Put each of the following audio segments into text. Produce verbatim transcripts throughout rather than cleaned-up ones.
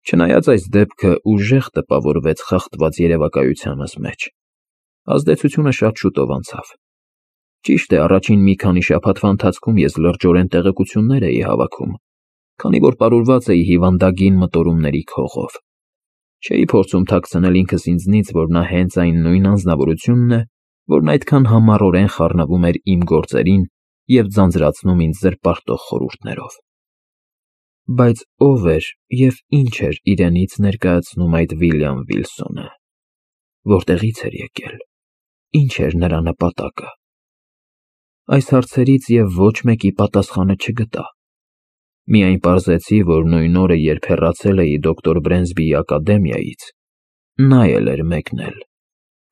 Չնայած այս դեպքը ուժեղ տպավորվեց խախտված երևակայությանս մեջ, ազդեցությունը շատ շուտով անցավ։ Ճիշտ է, առաջին մի քանի շաբաթվա ընթացքում ես լրջորեն տեղեկություններ էի հավաքում, քանի որ պարուրված էի հիվանդագին մտորումների քողով։ Չէի փորձում թաքցնել ինքս ինձնից, որ նա հենց այն նույն անձնավորությունն է, որն այդքան համառորեն խառնվում էր իմ գործերին և ձանձրացնում ինձ զրպարտող խորհուրդներով։ Բայց ո՞վ էր և ի՞նչ էր իրենից ներկայացնում այդ Վիլյամ Վիլսոնը, որտեղի՞ց էր եկել, ի՞նչ էր նրա նպատակը։ Այս հարցերից և ոչ մեկի պատասխանը չգտա։ Միայն պարզեցի, որ նույն օրը, երբ հեռացել էի դոկտոր Բրենսբիի ակադեմիայից, նա էլ էր մեկնել,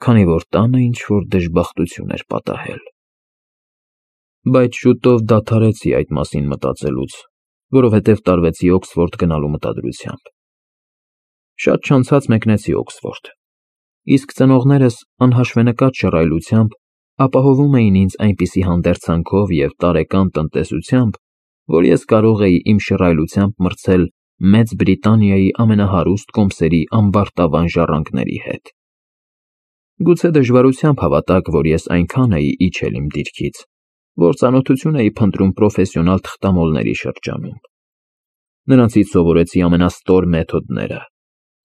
քանի որ տանը ինչ-որ դժբախտություն էր պատահել։ Բայց շուտով դադարեցի այդ մասին մտածելուց, որովհետև տարվեցի Օքսֆորդ գնալու մտադրությամբ։ Շատ չանցած մեկնեցի Օքսֆորդ, իսկ ծնողներս անհաշվենկատ շռայլությամբ ապահովում էին ինձ այնպիսի հանդերձանքով և տարեկան տնտեսությամբ, որ ես կարող էի իմ շռայլությամբ մրցել Մեծ Բրիտանիայի ամենահարուստ կոմսերի ամբարտավան ժառանգների հետ։ Գուցե դժվարությամբ հավատաք, որ ես այնքան էի իջել իմ դիրքից, որ ծանոթություն էի փնտրում պրոֆեսիոնալ թղթամոլների շրջանում։ Նրանցից սովորեցի ամենաստոր մեթոդները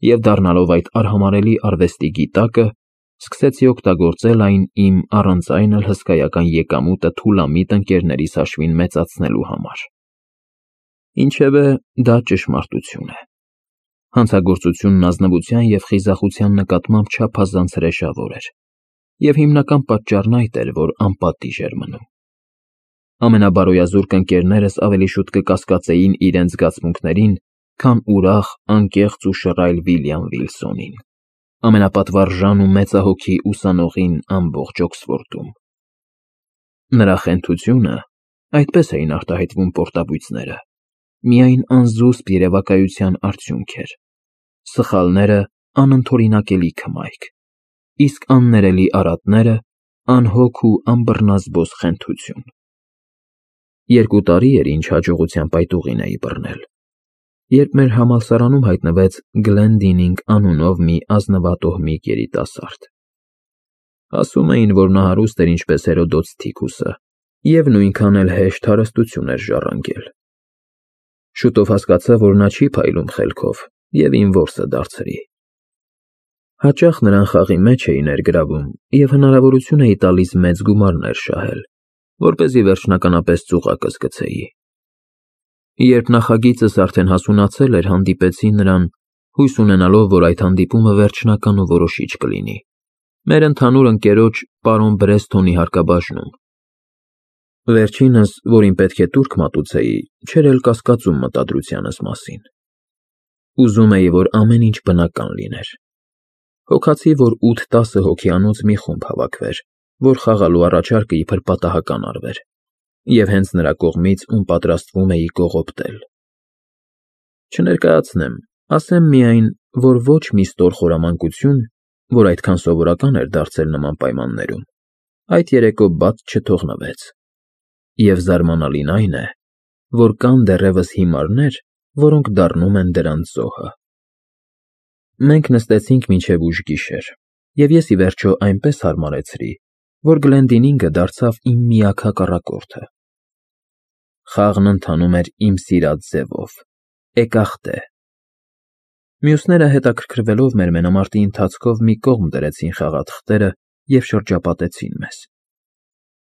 և, դառնալով այդ արհամարհելի արվեստի գիտակը, սկսեցի օգտագործել այն իմ առանց այն էլ հսկայական եկամուտը թուլամիտ ընկերներիս հաշվին մեծացնելու համար։ Ինչևէ, դա ճշմարտություն է։ Հանցագործությունն ազնվության և խիզախության նկատմամբ չափազանց հրեշավոր էր, և հիմնական պատճառն այդ էր, որ անպատիժ էր մնում։ Ամենաբարոյազուրկ ընկերներս ավելի շուտ կկասկածեին իրենց զգացմունքներին, քան ուրախ, անկեղծ ու շռայլ Վիլյամ Վիլսոնին, ամենապատվարժան ու մեծահոգի ուսանողին ամբողջ Օքսֆորդում։ Նրա խենթությունը (այդպես էին արտահայտվում պորտաբույծները) միայն անզուսպ երևակայության արդյունք էր, սխալները անընդօրինակելի քմայք, իսկ աններելի արատները անհոգ ու անբռնազբոս խենթություն։ Երկու տարի էր, ինչ հաջողությամբ այդ ուղին էի բռնել, երբ մեր համալսարանում հայտնվեց Գլենդինինգ անունով մի ազնվատոհմիկ երիտասարդ։ Ասում էին, որ նա հարուստ էր ինչպես Հերոդոտ Սթիքուսը և նույնքան էլ հեշտ հարստություն էր ժառանգել։ Շուտով հասկացա, որ նա չի փայլում խելքով և իմ որսը դարձրի։ Հաճախ նրան խաղի մեջ էի ներգրավում և հնարավորություն էի տալիս մեծ գումարներ շահել, որպեսզի վերջնականապես ծուղակս գցեի։ Երբ նախագիծս արդեն հասունացել էր, հանդիպեցի նրան, հույս ունենալով, որ այդ հանդիպումը վերջնական ու որոշիչ կլինի, մեր ընդհանուր ընկերոջ պարոն Բրեստոնի հարկաբաժնում։ Վերջինս, որին պետք է տուրք մատուցեի, չէր էլ կասկածում մտադրությանս մասին։ Ուզում էի, որ ամեն ինչ բնական լիներ։ Հոգացի, որ ութ֊տասը հոգիանոց մի խումբ հավաքվեր, որ խաղալու առաջարկը իբր պատահական արվեր, և հենց նրա կողմից, ում պատրաստվում էի կողոպտել։ Չներկայացնեմ, ասեմ միայն, որ ոչ մի ստոր խորամանկություն, որ այդքան սովորական էր դարձել նման պայմաններում, այդ երեկո բաց չթողնվեց։ Եվ զարմանալին այն է, որ կան դեռևս հիմարներ, որոնք դառնում են դրանց զոհը։ Մենք նստեցինք մինչև ուշ գիշեր, և ես, ի վերջո, այնպես հարմարեցրի, որ Գլենդինինգը դարձավ իմ միակ հակառակորդը։ Խաղն ընթանում էր իմ սիրած ձևով՝ էկախտե։ Մյուսները, հետաքրքրվելով մեր մենամարտի ընթացքով, մի կողմ դրեցին խաղաթղթերը և շրջապատեցին մեզ։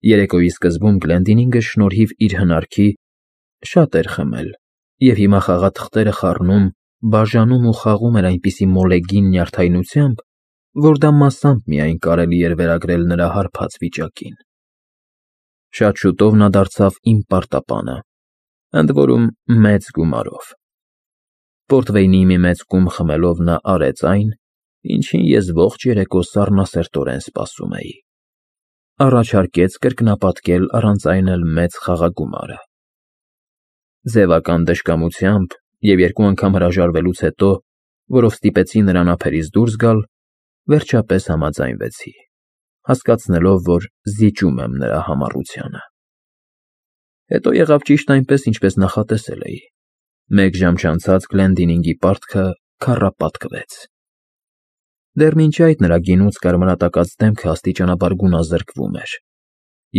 Երեկոյի սկզբում Գլենդինինգը, շնորհիվ իր հնարքի, շատ էր խմել և հիմա խաղաթղթերը խառնում, բաժանում ու խաղում էր այնպիսի մոլեգին նյարդայնությամբ, որ դա մասամբ միայն կարելի էր վերագրել նրա հարբած վիճակին։ Շատ շուտով նա դարձավ իմ պարտապանը, ընդ որում մեծ գումարով։ Պորտվեյնի մի մեծ կում խմելով նա արեց այն, ինչին ես ողջ երեկո սառնասրտորեն սպասում էի։ Առաջարկեց կրկնապատկել առանց այն էլ մեծ խաղագումարը։ Ձևական դժկամությամբ և երկու անգամ հրաժարվելուց հետո, որով ստիպեցի նրան ափերից դուրս գալ, վերջապես համաձայնվեցի, հասկացնելով, որ զիջում եմ նրա համառությանը։ Հետո եղավ ճիշտ այնպես, ինչպես նախատեսել էի։ Մեկ ժամ չանցած Գլենդինինգի պարտքը քառապատկվեց։ Դեռ մինչ այդ նրա գինուց կարմրատակած դեմքը աստիճանաբար գունազրկվում էր,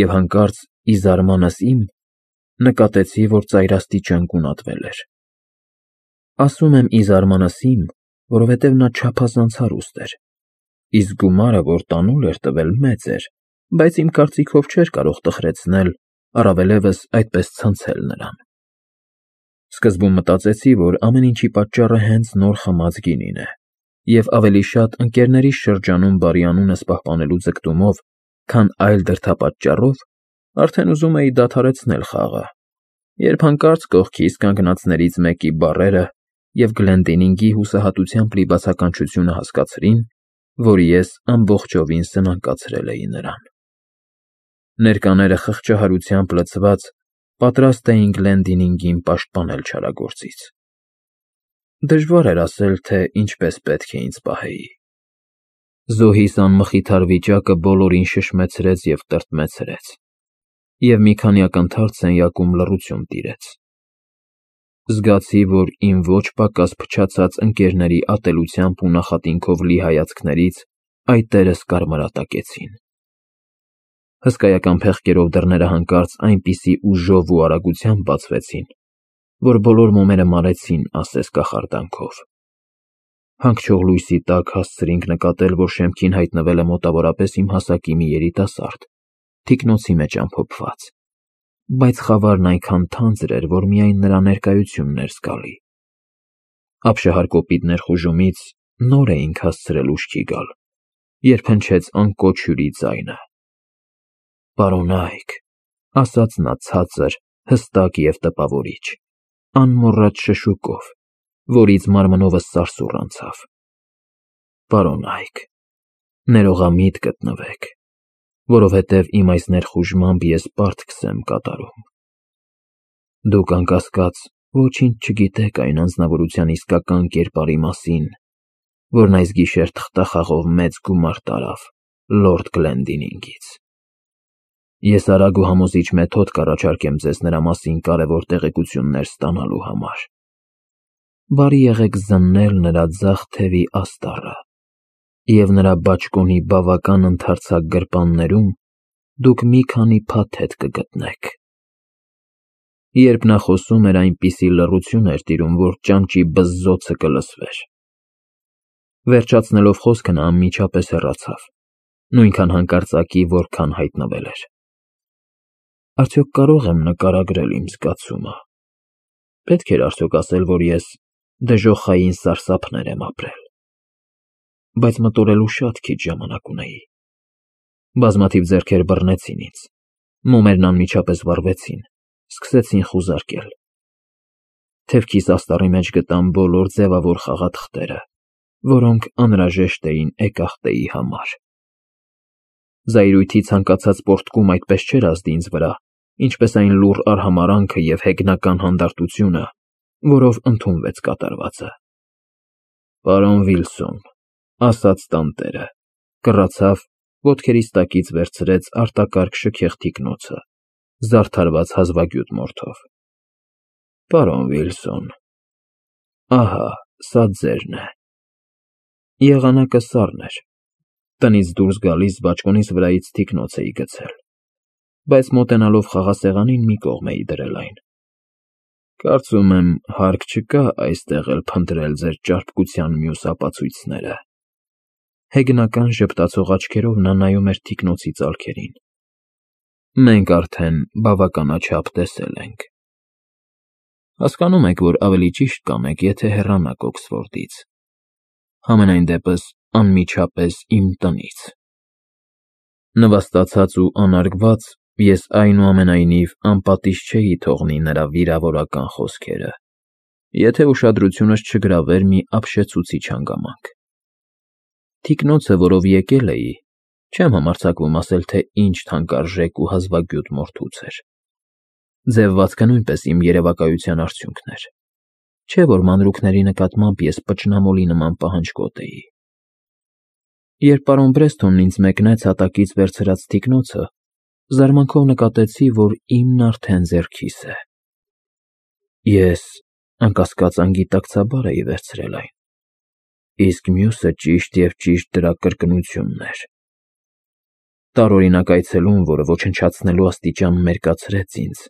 և հանկարծ, ի զարմանս իմ, նկատեցի, որ ծայրաստիճան գունատվել էր։ Ասում եմ ի զարմանս իմ, որովհետև նա չափազանց հարուստ էր, իսկ գումարը, որ տանուլ էր տվել, մեծ էր, բայց իմ կարծիքով չէր կարող տխրեցնել, առավելևս այդպես ցնցել նրան։ Սկզբում մտածեցի, որ ամեն ինչի պատճառը հենց նոր խմած գինին է, և ավելի շատ ընկերներիս շրջանում բարի անունս պահպանելու ձգտումով, քան այլ դրդապատճառով, արդեն ուզում էի դադարեցնել խաղը, երբ հանկարծ կողքիս կանգնածներից մեկի բառերը և Գլենդինինգի հուսահատությամբ լի բացականչությունը հասկացրին, որ ես ամբողջովին սնանկացրել էի նրան։ Ներկաները խղճահարությամբ լցված պատրաստ էին Գլենդինինգին պաշտպանել չարագործից։ Դժվար էր ասել, թե ինչպես պետք է ինձ պահեի։ Զոհիս անմխիթար վիճակը բոլորին շշմեցրեց և տրտմեցրեց, և մի քանի ակնթարթ սենյակում լռություն տիրեց։ Զգացի, որ իմ ոչ պակաս փչացած ընկերների ատելությամբ ու նախատինքով լի հայացքներից այտերս կարմրատակեցին։ Հսկայական փեղկերով դռները հանկարծ այնպիսի ուժով ու արագությամբ բացվեցին, որ բոլոր մոմերը մարեցին ասես կախարդանքով։ Հանգչող լույսի տակ հասցրինք նկատել, որ շեմքին հայտնվել է մոտավորապես իմ հասակի մի երիտասարդ, թիկնոցի մեջ ամփոփված, բայց խավարն այնքան թանձր էր, որ միայն նրա ներկայությունն էր զգալի։ Ապշահար կոպիտ ներխուժումից նոր էինք հասցրել ուշքի գալ, երբ հնչեց անկոչ հյուրի ձայնը։ «Պարոնա՛յք», ասաց նա ցածր, հստակ և տպավորիչ, անմոռաջ շշուկով, որից մարմնովս սարսուռ անցավ։ «Պարոնա՛յք, ներողամիտ գտնվեք, որովհետև իմ այս ներխուժմամբ ես պարտքս եմ կատարում։ Դուք, անկասկած, ոչինչ չգիտեք այն անձնավորության իսկական կերպարի մասին, որն այս գիշեր թղթախաղով մեծ գումար տարավ լորդ Գլենդինինգից։ Ես արագ ու համոզիչ մեթոդ կառաջարկեմ ձեզ նրա մասին կարևոր տեղեկություններ ստանալու համար։ Բարի եղեք զննել նրա ձախ թևի աստառը, և նրա բաճկոնի բավական ընդարձակ գրպաններում դուք մի քանի փաթեթ կգտնեք»։ Երբ նա խոսում էր, այնպիսի լռություն էր տիրում, որ ճանճի բզզոցը կլսվեր։ Վերջացնելով խոսքը նա անմիջապես հեռացավ, նույնքան հանկարծակի, որքան հայտնվել էր։ Արդյոք կարո՞ղ եմ նկարագրել իմ զգացումը։ Պետք էր արդյոք ասել, որ ես դժոխային սարսափներ եմ ապրել։ Բայց մտորելու շատ քիչ ժամանակ ունեի։ Բազմաթիվ ձեռքեր բռնեցին ինձ, մոմերն անմիջապես վառվեցին, սկսեցին խուզարկել։ Թևքիս աստառի մեջ գտամ բոլոր ձևավոր խաղաթղթերը, որոնք անհրաժեշտ էին էկախտեի համար։ Զայրույթի ցանկացած պոռթկում այդպես չէր ազդի ինձ վրա, ինչպես այն լուռ արհամարհանքը և հեգնական հանդարտությունը, որով ընդունվեց կատարվածը։ «Պարոն Վիլսոն», ասաց տանտերը, կռացավ, ոտքերիս տակից վերցրեց արտակարգ շքեղ թիկնոցը, զարդարված հազվագյուտ մորթով։ «Պարոն Վիլսոն, ահա սա ձերն է»։ Եղանակը սառն էր, տնից դուրս գալիս բաճկոնիս վրայից թիկնոց էի գցել, բայց մոտենալով խաղասեղանին մի կողմ էի դրել այն։ Կարծում եմ, հարկ չկա այստեղ էլ փնտրել ձեր ճարպկության մյուս ապացույցները։ Հեգնական ժպտացող աչքերով նա նայում էր թիկնոցի ծալքերին։ Մենք արդեն բավականաչափ տեսել ենք։ Հասկանում եք, որ ավելի ճիշտ կանեք, եթե հեռանաք Օքսֆորդից, համենայն դեպս անմիջապես իմ տնից։ Նվաստացած ու անարգված, ես այնուամենայնիվ անպատիժ չէի թողնի նրա վիրավորական խոսքերը, եթե ուշադրությունս չգրավեր մի ապշեցուցիչ հանգամանք։ Թիկնոցը, որով եկել էի, չեմ համարձակվում ասել, թե ինչ թանկարժեք ու հազվագյուտ մորթուց էր։ Ձևվածքը նույնպես իմ երևակայության արդյունքն էր, չէ՞ որ մանրուքների նկատմամբ ես պճնամոլի նման պահանջկոտ էի։ Երբ պարոն Բրեստոնն ինձ մեկնեց հատակից վերցրած թիկնոցը, զարմանքով նկատեցի, որ իմն արդեն ձեռքիս է։ Ես անկասկած անգիտակցաբար էի վերցրել այն, իսկ մյուսը ճիշտ և ճիշտ դրա կրկնությունն էր։ Տարօրինակ այցելուն, որը ոչնչացնելու աստիճան մերկացրեց ինձ,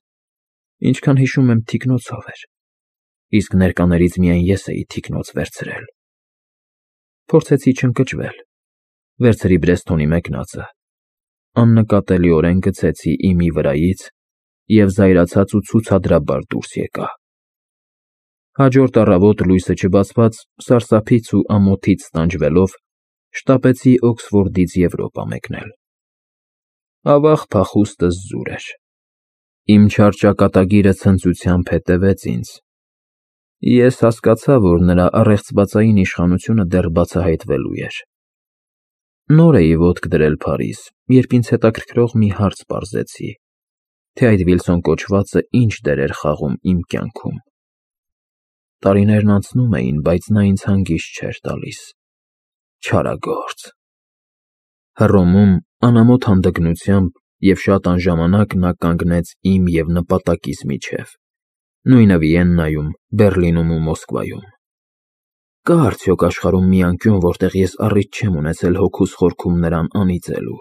ինչքան հիշում եմ, թիկնոցով էր, իսկ ներկաներից միայն ես էի թիկնոց վերցրել։ Փորձեցի չընկճվել, վերցրի Բրեստոնի մեկնածը, աննկատելիորեն գցեցի իմի վրայից և զայրացած ու ցուցադրաբար դուրս եկա։ Հաջորդ առավոտ լույսը չբացված, սարսափից ու ամոթից տանջվելով, շտապեցի Օքսֆորդից Եվրոպա մեկնել։ Ավաղ փախուստս զուր էր։ Իմ չար ճակատագիրը ցնծությամբ հետևեց ինձ։ Ես հասկացա, որ նրա առեղծվածային իշխանությունը դեռ բացահայտվելու էր։ Նոր էի ոտք դրել Փարիզ, երբ ինձ հետաքրքրող մի հարց պարզեցի, թե այդ Վիլսոն կոչվածը ինչ դեր էր խաղում իմ կյանքում։ Տարիներն անցնում էին, բայց նա ինձ հանգիստ չէր տալիս։ Չարագործ։ Հռոմում անամոթ հանդգնությամբ և շատ անժամանակ նա կանգնեց իմ և նպատակիս միջև, նույնը Վիեննայում, Բեռլինում ու Մոսկվայում։ Կա՞ արդյոք աշխարհում մի անկյուն, որտեղ ես առիթ չեմ ունեցել հոգուս խորքում նրան անիծելու։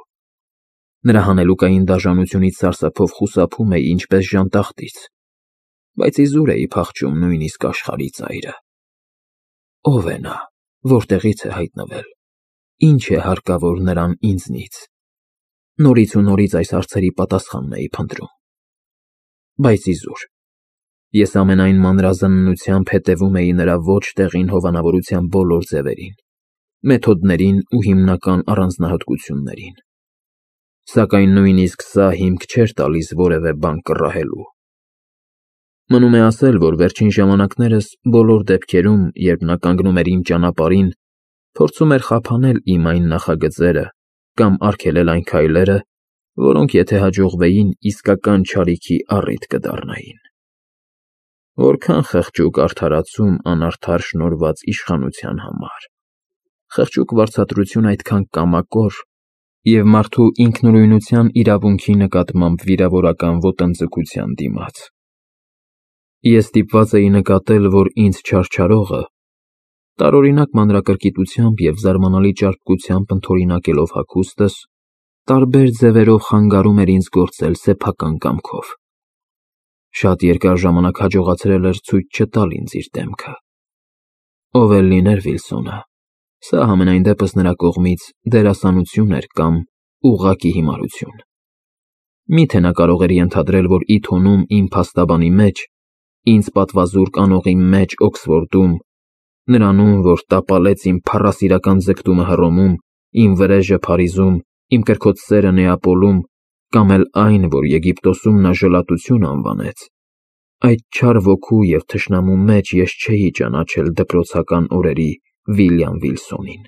Նրա հանելուկային դաժանությունից սարսափով խուսափում էի ինչպես ժանտախտից, բայց իզուր էի փախչում նույնիսկ աշխարհի ծայրը։ Ո՞վ է նա, որտեղից է հայտնվել, ինչ է հարկավոր նրան ինձնից։ Նորից ու նորից այս հարցերի պատասխանն էի փնտրում։ Բայց իզուր ես ամենայն մանրազննությամբ հետևում էի նրա ոչ տեղին հովանավորության բոլոր ձևերին, մեթոդներին ու հիմնական առանձնահատկություններին։ Սակայն նույնիսկ սա հիմք չէր տալիս որևէ բան կռահելու։ Մնում է ասել, որ վերջին ժամանակներս բոլոր դեպքերում, երբ նա կանգնում էր իմ ճանապարհին, փորձում էր խափանել իմ այն նախագծերը կամ արգելել այն քայլերը, որոնք, եթե հաջողվեին, իսկական չարիքի առիթ կդառնային։ Որքան խղճուկ արդարացում անարդար շնորհված իշխանության համար, խղճուկ վարձատրություն այդքան կամակոր և մարդու ինքնուրույնության իրավունքի նկատմամբ վիրավորական ոտնձգության դիմաց։ Ես ստիպված էի նկատել, որ ինձ չարչարողը, տարօրինակ մանրակրկիտությամբ և զարմանալի ճարպկությամբ ընդօրինակելով հագուստս, տարբեր ձևերով խանգարում էր ինձ գործել սեփական կամքով։ Շատ երկար ժամանակ հաջողացրել էր ցույց չտալ ինձ իր դեմքը։ Ով էլ լիներ Վիլսոնը, սա համենայն դեպս նրա կողմից դերասանություն էր կամ ուղղակի հիմարություն։ Մի՞թե նա կարող էր ենթադրել, որ ի թոնում իմ փաստաբանի մեջ, ինձ պատվազուրկ անողի մեջ Օքսֆորդում, նրանում, որ տապալեց իմ փառասիրական ձգտումը Հռոմում, իմ վրեժը Փարիզում, իմ կրքոտ սերը Նեապոլում, կամ էլ այն, որ Եգիպտոսում նա ժլատություն անվանեց, այդ չար ոգու և թշնամու մեջ ես չէի ճանաչել դպրոցական օրերի Վիլյամ Վիլսոնին,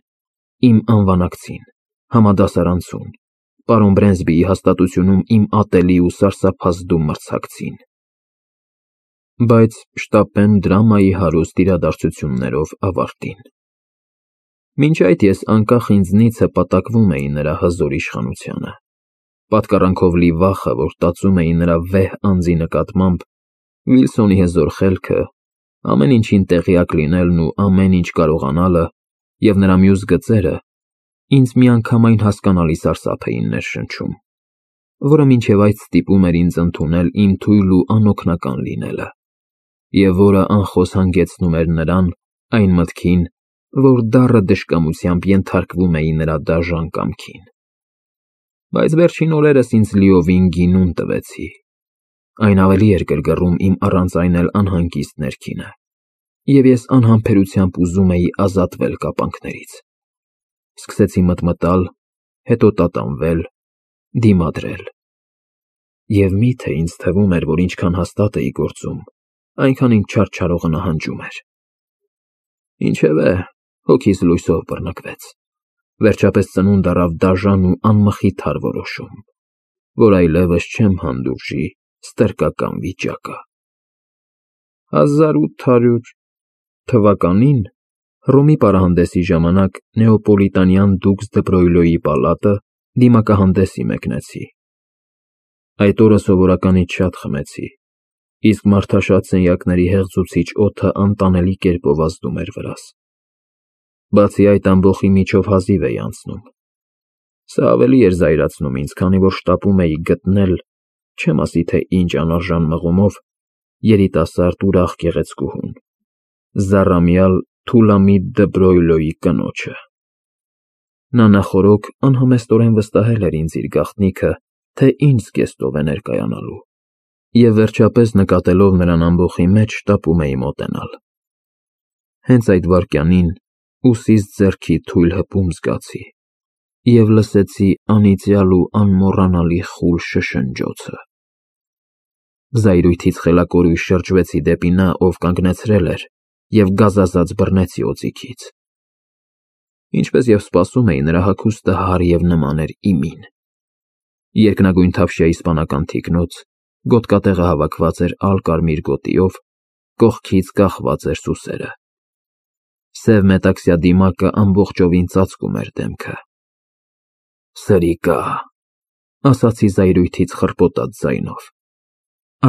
իմ անվանակցին, համադասարանցուն, պարոն Բրենսբիի հաստատությունում իմ ատելի ու սարսափազդու մրցակցին։ Բայց շտապեմ դրամայի հարուստ իրադարձություններով ավարտին։ Մինչ այդ ես անկախ ինձնից հպատակվում էի նրա հզոր իշխանությանը, պատկառանքով լի վախը, որ տածում էի նրա վեհ անձի նկատմամբ, Վիլսոնի հզոր խելքը, ամեն ինչին տեղյակ լինելն ու ամեն ինչ կարողանալը և նրա մյուս գծերը ինձ միանգամայն հասկանալի սարսափ էին ներշնչում, որը մինչև այդ ստիպում էր ինձ ընդունել իմ թույլ ու անօգնական լինելը, և որը անխոս հանգեցնում էր նրան այն մտքին, որ դառը դժկամությամբ ենթարկվում էի նրա դաժան կամքին։ Բայց վերջին օրերս ինձ լիովին գինուն տվեցի, այն ավելի էր գրգռում իմ առանց այն էլ անհանգիստ ներքինը, և ես անհամբերությամբ ուզում էի ազատվել կապանքներից։ Սկսեցի մտմտալ, հետո տատանվել, դիմադրել։ Եվ մի՞թե ինձ թվում էր, որ ինչքան հաստատ էի գործում, այնքան իմ չարչարողը նահանջում էր։ Ինչևէ, հոգիս լույսով բռնկվեց։ Վերջապես ծնունդ առավ դաժան ու անմխիթար որոշում, որ այլևս չեմ հանդուրժի ստրկական վիճակը։ հազար ութ հարյուր թվականին Հռոմի պարահանդեսի ժամանակ Նեոպոլիտանյան դուքս դը Բրոյլոյի պալատը դիմակահանդեսի մեկնեցի։ Այդ օրը սովորականից շատ խմեցի, իսկ մարդաշատ սենյակների հեղձուցիչ օդը անտանելի կերպով ազդում էր վրաս։ Բացի այդ, ամբոխի միջով հազիվ էի անցնում։ Սա ավելի էր զայրացնում ինձ, քանի որ շտապում էի գտնել, չեմ ասի թե ինչ անարժան մղումով, երիտասարդ ուրախ գեղեցկուհուն, զառամյալ Թուլամիդ դը Բրոյլոյի կնոջը։ Նա նախօրոք անհամեստորեն վստահել էր ինձ իր գաղտնիքը, թե ինչ զգեստով է ներկայանալու, և վերջապես նկատելով նրան ամբոխի մեջ, շտապում էի մոտենալ։ Հենց այդ վայրկյանին ուսիս ձեռքի թույլ հպում զգացի և լսեցի անիծյալ ու անմոռանալի խուլ շշնջոցը։ Զայրույթից խելակորույս շրջվեցի դեպի նա, ով կանգնեցրել էր, և գազազած բռնեցի օձիքից։ Ինչպես և սպասում էի, նրա հագուստը հարթ և նման էր իմին։ Երկնագույն թավշյա իսպանական թիկնոց, գոտկատեղը հավաքված էր ալ֊կարմիր գոտիով, կողքից կախված էր սուսերը։ Սև մետաքսյա դիմակը ամբողջովին ծածկում էր դեմքը։ Սրիկա, ասացի զայրույթից խռպոտած ձայնով։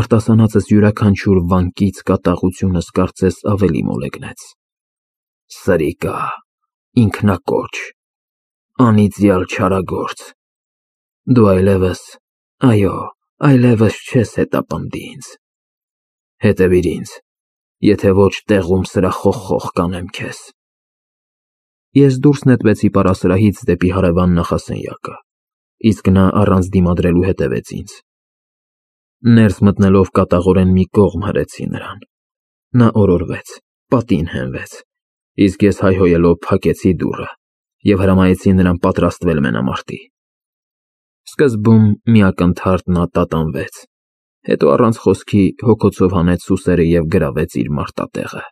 Արտասանածս յուրաքանչյուր վանկից կատաղությունս կարծես ավելի մոլեգնեց։ Սրիկա, ինքնակոչ, անիծյալ չարագործ, դու այլևս, այո, այլևս չես հետապնդի ինձ։ Հետևիր ինձ, եթե ոչ տեղում սրախոխխող կանեմ քեզ։ Ես դուրս նետվեցի պարասրահից դեպի հարևան նախասենյակը, իսկ նա առանց դիմադրելու հետևեց ինձ։ Ներս մտնելով կատաղորեն մի կողմ հրեցի նրան։ Նա օրորվեց, պատին հենվեց, իսկ ես հայհոյելով փակեցի դուռը և հրամայեցի նրան պատրաստվել մենամարտի։ Սկզբում մի ակնթարթ նա տատանվեց, հետո առանց խոսքի հոգոցով հանեց սուսերը և գրավեց իր մարտատեղը։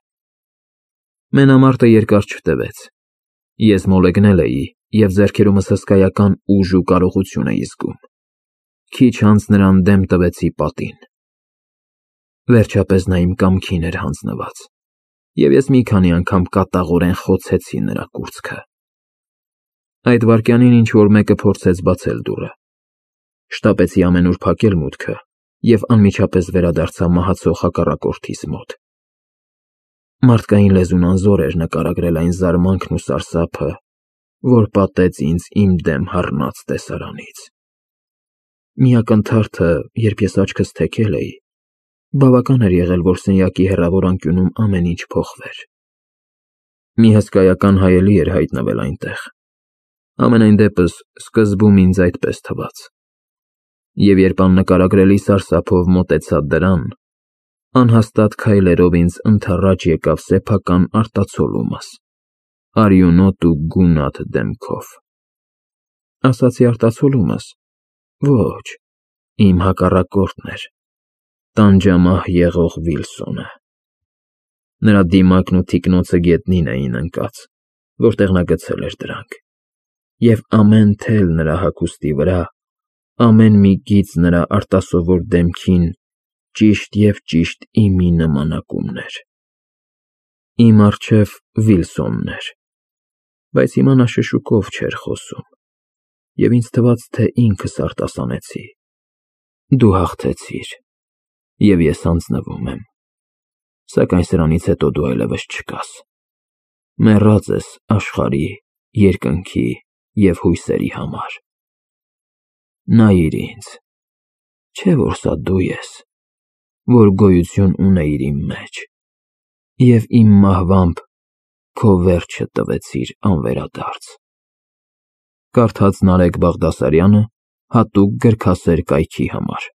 Մենամարտը երկար չտևեց։ Ես մոլեգնել էի և ձեռքերումս հսկայական ուժ ու կարողություն էի զգում։ Քիչ անց նրան դեմ տվեցի պատին։ Վերջապես նա իմ կամքին էր հանձնված, և ես մի քանի անգամ կատաղորեն խոցեցի նրա կուրծքը։ Այդ վայրկյանին ինչ-որ մեկը փորձեց բացել դուռը։ Շտապեցի ամենուր փակել մուտքը և անմիջապես վերադարձա մահացող հակառակորդիս մոտ։ Մարդկային լեզուն անզոր էր նկարագրել այն զարմանքն ու սարսափը, որ պատեց ինձ իմ դեմ հառնած տեսարանից։ Մի ակնթարթը, երբ ես աչքս թեքել էի, բավական էր եղել, որ սենյակի հեռավոր անկյունում ամեն ինչ փոխվեր։ Մի հսկայական հայելի էր հայտնվել այնտեղ։ Համենայն դեպս, սկզբում ինձ այդպես թվաց։ Եվ երբ աննկարագրելի սարսափով մոտեցա դրան, անհաստատ քայլերով ինձ ընդառաջ եկավ սեփական արտացոլումս, արյունոտ ու գունատ դեմքով։ Ասացի արտացոլումս, ոչ, իմ հակառակորդն էր, տանջամահ եղող Վիլսոնը։ Նրա դիմակն ու թիկնոցը գետնին էին ընկած, որտեղ նա գցել էր դրանք, և ամեն թել նրա հագուստի վրա, ամեն մի գիծ նրա արտասովոր դեմքին ճիշտ և ճիշտ իմի նմանակումն էր։ Իմ առջև Վիլսոնն էր, բայց հիմա նա շշուկով չէր խոսում, և ինձ թվաց, թե ինքս արտասանեցի. «Դու հաղթեցիր, և ես հանձնվում եմ, սակայն սրանից հետո դու այլևս չկաս, մեռած ես աշխարհի, երկնքի և հույսերի համար։ Նայիր ինձ, չէ՞ որ սա դու ես, որ գոյություն ունեիր իմ մեջ, և իմ մահվամբ քո վերջը տվեցիր անվերադարձ»։ Կարդաց Նարեկ Բաղդասարյանը հատուկ գրքասեր կայքի համար։